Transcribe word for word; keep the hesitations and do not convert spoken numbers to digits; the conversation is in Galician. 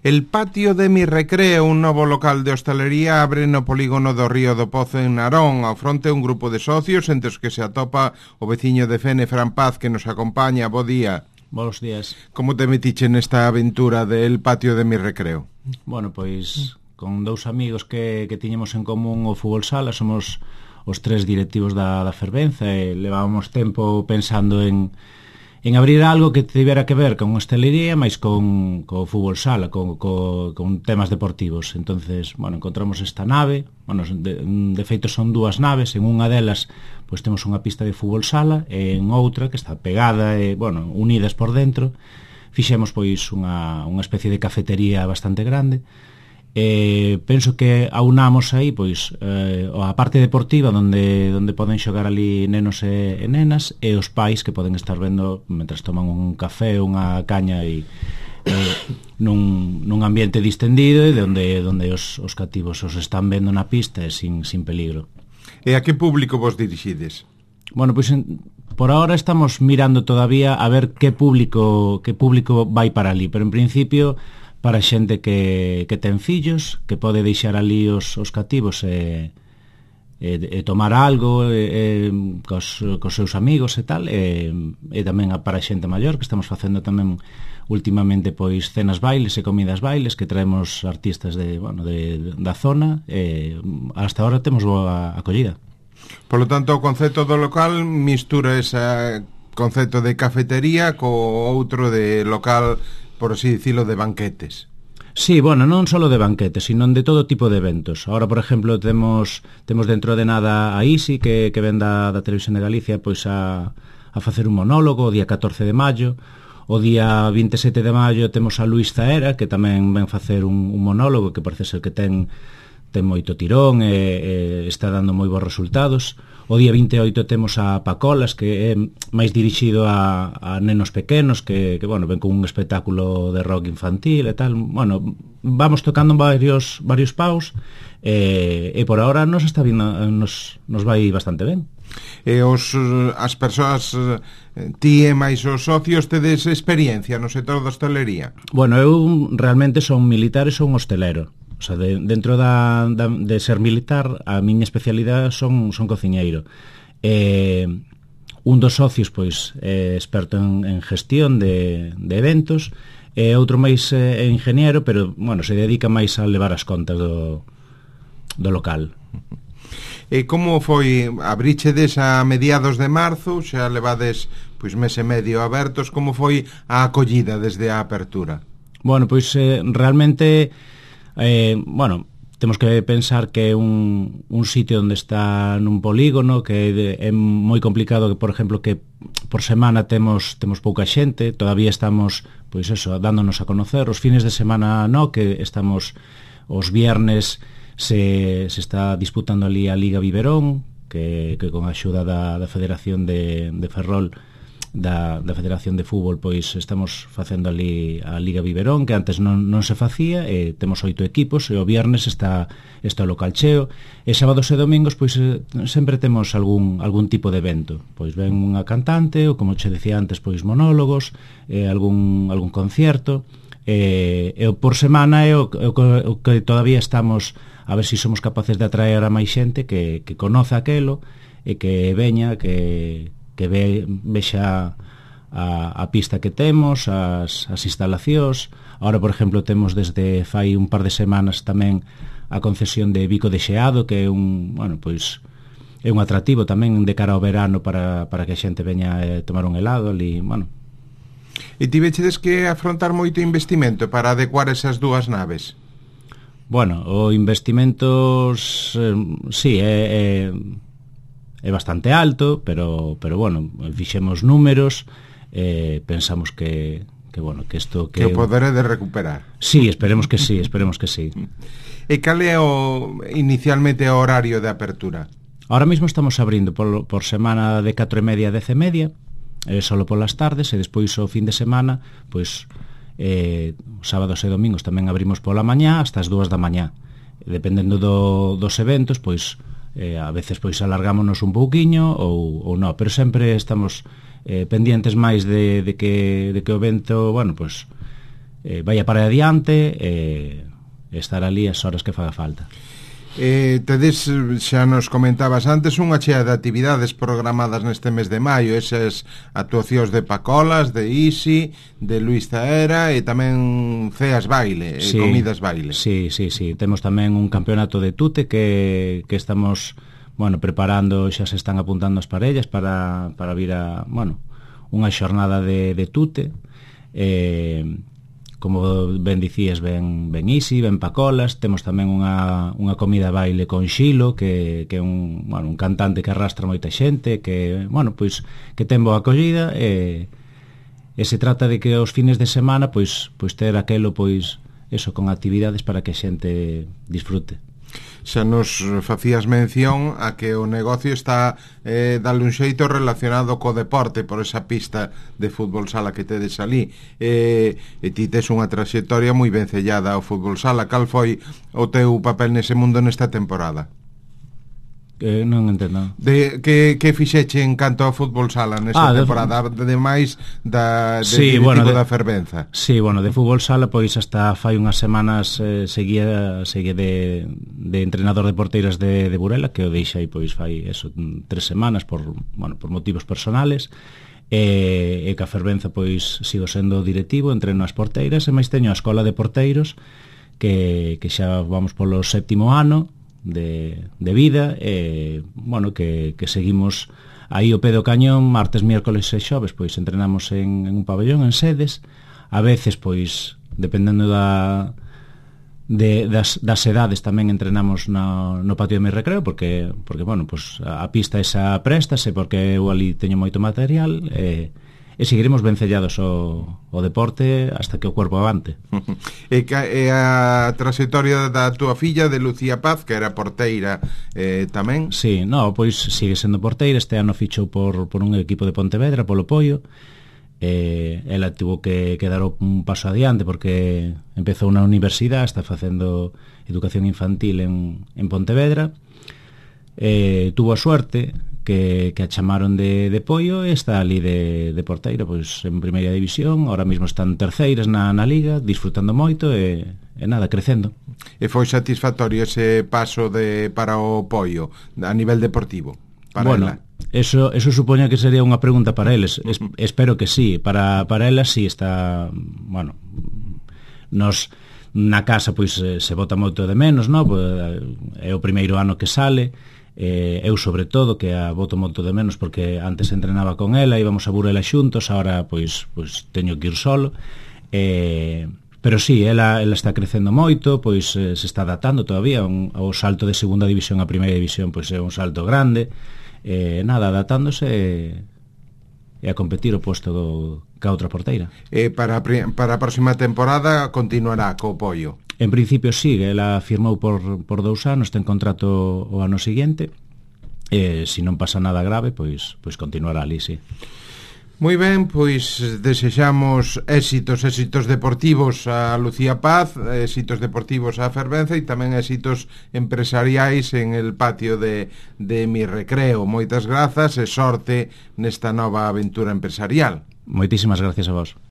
El patio de Mi Recreo, un novo local de hostalería, abre no polígono do Río do Pozo en Narón. Ao fronte un grupo de socios, entre os que se atopa o veciño de Fene, Fran Paz, que nos acompaña. Bo día. Bos días. Como te metiche nesta aventura del patio de Mi Recreo? Bueno, pois con dous amigos que, que tiñemos en común o fútbol sala, somos os tres directivos da, da Fervenza e levábamos tempo pensando en en abrir algo que tivera que ver con hostelería, máis con, con fútbol sala, con, con, con temas deportivos. Entonces, bueno, encontramos esta nave, bueno, de, de feito son dúas naves, en unha delas pois temos unha pista de fútbol sala, e en outra, que está pegada e, bueno, unidas por dentro, fixemos pois unha, unha especie de cafetería bastante grande. Eh, penso que aunamos aí pois eh, a parte deportiva onde, onde poden xogar ali nenos e, e nenas, e os pais que poden estar vendo mentras toman un café, unha caña e, eh, nun, nun ambiente distendido e de onde, onde os, os cativos os están vendo na pista e sin, sin peligro. E a que público vos dirixides? Bueno, pois en, por ahora estamos mirando todavía a ver que público que público vai para ali, pero en principio para xente que, que ten fillos, que pode deixar ali os, os cativos e, e, e tomar algo e, e, cos, cos seus amigos e tal, e, e tamén para xente maior, que estamos facendo tamén últimamente pois cenas bailes e comidas bailes, que traemos artistas de, bueno, de, da zona, e hasta ahora temos boa acollida. Por lo tanto, o concepto do local mistura ese concepto de cafetería co outro de local, por así dicilo, de banquetes. Sí, bueno, non só de banquetes, sino de todo tipo de eventos. Ahora, por exemplo, temos temos dentro de nada a Isi, que, que ven da, da Televisión de Galicia, pois a, a facer un monólogo o día catorce de maio. O día vinte e sete de maio temos a Luís Zaera, que tamén ven facer un, un monólogo que parece ser que ten ten moito tirón e, e está dando moi bons resultados. O día vinte e oito temos a Pacolas, que é máis dirixido a, a nenos pequenos, que, que bueno, ven con un espectáculo de rock infantil e tal. Bueno, vamos tocando varios varios paus e, e por ahora nos está vindo, nos, nos vai bastante ben. E os, as persoas, ti e máis os socios, tedes experiencia no sector da hostelería? Bueno, eu realmente son militar e son hostelero. O sea, de, dentro da, da, de ser militar, a miña especialidade son, son cociñeiro. Eh, un dos socios, pois, é experto en, en gestión de, de eventos, e outro máis é ingeniero, pero, bueno, se dedica máis a levar as contas do, do local. E como foi? Abríchedes a mediados de marzo, xa levades pois mes e medio abertos, como foi a acollida desde a apertura? Bueno, pois eh, realmente... Eh, bueno, temos que pensar que é un, un sitio onde está nun polígono, que é, é moi complicado que, por exemplo, que por semana temos temos pouca xente, todavía estamos, pois eso, dándonos a conocer. Os fines de semana no, que estamos os viernes se, se está disputando ali a Liga Biberón, que, que con a axuda da, da Federación de, de Ferrol, Da, da Federación de Fútbol, pois estamos facendo ali a Liga Biberón, que antes non, non se facía, e temos oito equipos, e o viernes está, está o local cheo, e sábados e domingos pois sempre temos algún, algún tipo de evento, pois ven unha cantante, ou como che decía antes, pois monólogos, e algún, algún concierto, e, e por semana é o, o, o que todavía estamos a ver se si somos capaces de atraer a máis xente que, que conoce aquelo, e que veña, que que ve, vexa a, a pista que temos, as, as instalacións. Ahora, por exemplo, temos desde fai un par de semanas tamén a concesión de Bico de Xeado, que é un, bueno, pois é un atractivo tamén de cara ao verano para, para que a xente veña a tomar un helado ali, bueno. E tivechedes que afrontar moito investimento para adecuar esas dúas naves? Bueno, o investimento eh, sí, é... é é bastante alto, pero pero bueno, fixemos números, eh, pensamos que que bueno, que isto que que o poder de recuperar. Sí, esperemos que sí, esperemos que sí. E cal é o inicialmente o horario de apertura? Ahora mismo estamos abrindo por, por semana de catro e media a dez e media, eh, solo polas tardes, e despois o fin de semana, pois eh, sábados e domingos tamén abrimos pola mañá hasta as dúas da mañá. Dependendo do, dos eventos, pois eh, a veces pois alargámonos un pouquiño ou, ou non, pero sempre estamos eh, pendientes máis de, de, que, de que o evento, bueno, pois eh, vai para adiante e eh, estar ali as horas que faga falta. Eh, tedes, xa nos comentabas antes, unha chea de actividades programadas neste mes de maio, esas actuacións de Pacolas, de Isi, de Luis Zaera e tamén ceas baile, sí, comidas baile. Sí, sí, sí, temos tamén un campeonato de tute que, que estamos, bueno, preparando, xa se están apuntando as parellas para, para vir a, bueno, unha xornada de, de tute. eh, Como ben dicías, ben, ben Isi, ben Pacolas. Temos tamén unha, unha comida baile con Xilo, que, que é un, bueno, un cantante que arrastra moita xente, que, bueno, pois, que ten boa acollida, e, e se trata de que os fines de semana, pois, pois ter aquelo, pois, eso, con actividades para que a xente disfrute. Xa nos facías mención a que o negocio está eh, dale un xeito relacionado co deporte por esa pista de fútbol sala que tedes ali, eh, e ti tes unha traxectoria moi vencellada ao fútbol sala. Cal foi o teu papel nese mundo nesta temporada? Eh, non entendo. De, que, que fixeche en canto ao fútbol sala nesa ah, temporada, de, de máis da, de sí, directivo bueno, de, da Fervenza? Sí, bueno, de fútbol sala, pois hasta fai unhas semanas eh, seguía, seguía de, de entrenador de porteiras de, de Burela, que o deixei, pois fai eso, tres semanas por, bueno, por motivos personales, e, e que a Fervenza, pois sigo sendo directivo, entreno as porteiras, e máis teño a escola de porteiros que, que xa vamos polo séptimo ano de, de vida, e, bueno, que, que seguimos aí ao pé do cañón, martes, miércoles e xoves, pois entrenamos en, en un pabellón, en sedes, a veces, pois, dependendo da, de, das, das edades, tamén entrenamos no, no patio de mi recreo, porque, porque bueno, pois, a pista esa préstase, porque eu ali teño moito material, e, e seguiremos vencellados ao, ao deporte hasta que o corpo avante. E, e a trayectoria da túa filla, de Lucía Paz, que era porteira eh, tamén? Sí, no, pois sigue sendo porteira, este ano fichou por, por un equipo de Pontevedra, polo Poio. Eh, ela tivo que, que dar un paso adiante porque empezou na universidade, está facendo educación infantil en, en Pontevedra. Eh, tuvo a suerte que, que a chamaron de, de Poio e está ali de, de porteira, pois en primeira división, ahora mesmo están terceiras na, na liga, disfrutando moito e, e nada, crecendo. E foi satisfactorio ese paso de para o Poio a nivel deportivo? Para bueno, ela? Eso, eso supoña que sería unha pregunta para eles. Es, espero que sí, para, para ela sí está, bueno, nos na casa pois se bota moito de menos, no? É o primeiro ano que sale. Eh, eu sobre todo que a boto moito de menos porque antes entrenaba con ela, íbamos a Burela xuntos, agora pois, pois teño que ir solo, eh, pero sí, ela, ela está crecendo moito, pois eh, se está adaptando todavía un, ao salto de segunda división a primeira división, pois é un salto grande, eh, nada, adaptándose e, e a competir o posto do, ca outra porteira. E para, para a próxima temporada continuará co Poio? En principio sigue, ela firmou por, por dous anos, ten contrato o ano seguinte, e se non pasa nada grave, pois, pois continuará ali, sí. Moi ben, pois desexamos éxitos, éxitos deportivos a Lucía Paz, éxitos deportivos a Fervenza e tamén éxitos empresariais en el patio de, de mi recreo. Moitas grazas e sorte nesta nova aventura empresarial. Moitísimas gracias a vos.